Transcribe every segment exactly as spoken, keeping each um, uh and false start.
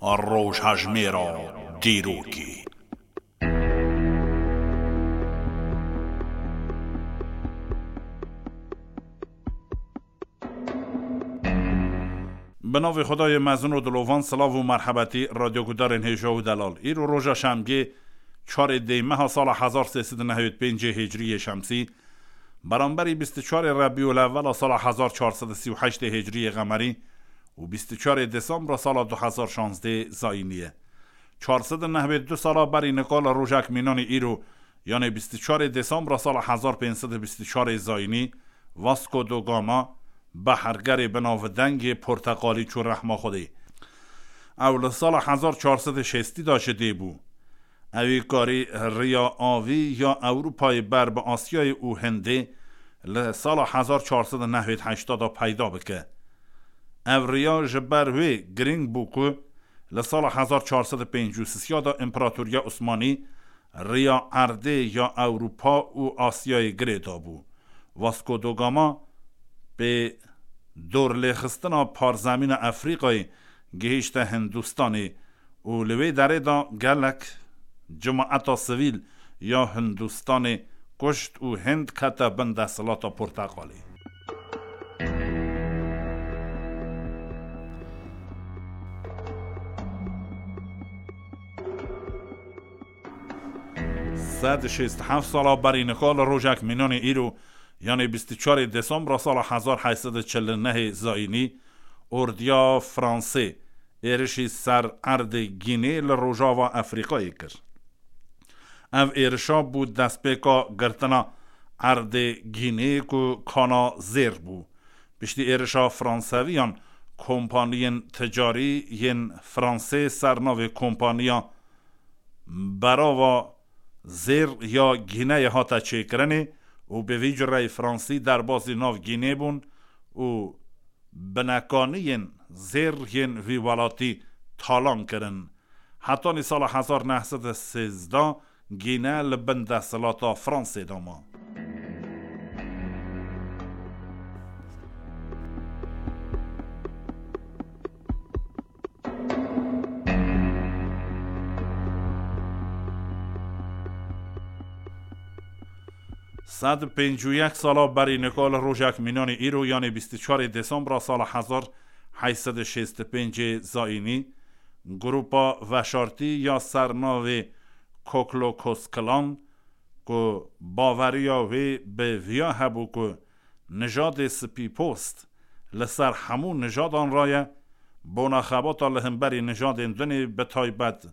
Rojhejmêra dîrokê. Bi navê Xwedayê mezin û dilovan, silav û merhebetî radyogudarên hêja û delal. Îro roja şemgê, çarê dê meha sala hezar sê sed û nehewêd pêncê hicriyê şemsî, beramberî bîst û çarê Rebîul Evvela sala hezar çar sed û sî û heştê hicriyê qemerî û bîst û çarê Desembra sala du hezar şazdê zayînî ye. Çar sed û nehwêd du sala berî nika li rojek mînanî îro, yanê bîst û çarê Desembra sala hezar pênc sed û bîst û çarê zayînî, Vasco da Gama, behergerê binavdengê porteqalî çû rehma Xwedê. Ew li sala hezar çar sed û şêstî de ji dê bû. Ewî karî riya avî ya Ewropayê ber bi Asyayê û Hindê li sala hezar çar sed û nehwêd heşta de peyda bike. Ev riya ji ber wê girîng bû ku li sala hezar çar sed û pêncî û sê de Împaratoriya Osmanî riya erdê ya Ewropa û Asyayê girê dabû. Vasco da Gama pê dorlêxistina parzemîna Efrîqayê gihîşte Hindistanê û li wê derê de gelek cimaeta sivîl ya Hindistanê kuşt û Hind kete bin desthilata porteqalê. Sed û şêst û heft sala berî nika li rojek mînanê îro, yanê bîst û çarê Desembra sala hezar heşt sed û çil û nehê zayînî, ordiya Fransê êrişî ser erdê Gînê li rojava Efrîqayê kir. Ev êrişa bû destpêka girtina erdê Gînê ku kana zêr bû. Piştî êrişa Franseviyan, kompaniyên ticarî yên Fransê ser navê Kompaniya Berava Zêr ya Gîneyê hate çêkirinê û bi vî cureyî Fransî derbazî nav Gînê bûn û binekaniyên zêr yên vî welatî talan kirin. Hetanî sala hezar neh sed û sêzdeh Gîne li bin desthilata Fransê de ma. Sed û pêncî û yek sala berî nika li rojek mînanî îro, yanê bîst û çarê Desembra sala hezar heşt sed û şêst û pêncê zayînî, grupa veşartî ya ser navê Koklokos Klan, ku baveriya wê bi viya hebû ku nijadê spîpost li ser hemû nijadan re ye, bona xebata li hemberî nijadên din ê, bi taybet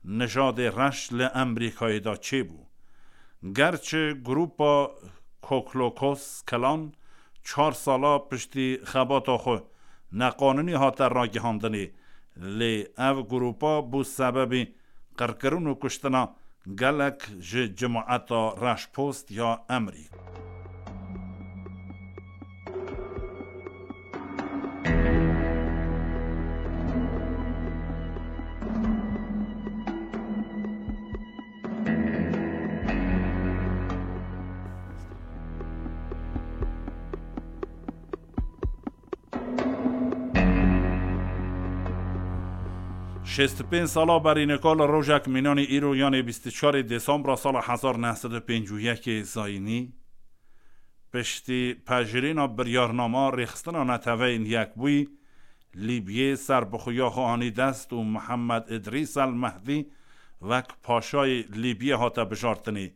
nijadê reş li Emerîkayê de çêbû. Gerçi grupa Koklokos Klan çar sala piştî xebata xwe neqanûnî hate ragihandinê, lê ev grupa bû sebebî qirkirin û kuştina gelek ji cimaeta reşpost ya Emerîk. Şêst û pênc sala berî nika li rojek mînanî îro, yanê bîst û çarê Desembra sala hezar neh sed û pêncî û yekê zayînî, piştî pejirîna biryarnama rêxistina Neteweyên Yekbûyî, Lîbyê serbixweya xwe anî dest û Mihemed Îdrîs El Mehdî wek paşayê Lîbyê hate bijartinê.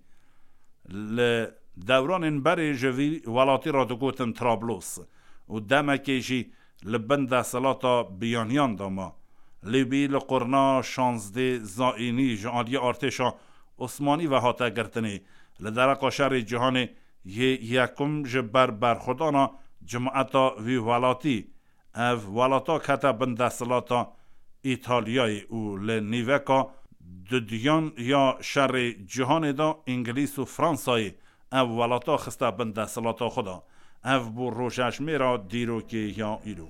Li dewranên berê ji vî welatî re digotin Trablos û demekê jî li bin desthilata biyaniyan de ma. Lîbî li qurna şazdê zayînî ji aliyê artêşa Osmanî ve hate girtinê. Li dereqa şerê cîhanê yê yekum ji ber berxwedana cimaeta vî welatî, ev welata kete bin desthilata Îtalyayê û li nîveka dudiyan ya şerê cîhanê de Îngilîz û Fransayê ev welata xiste bin desthilata xwe de. Ev bû rojejmêra dîrokê ya îro.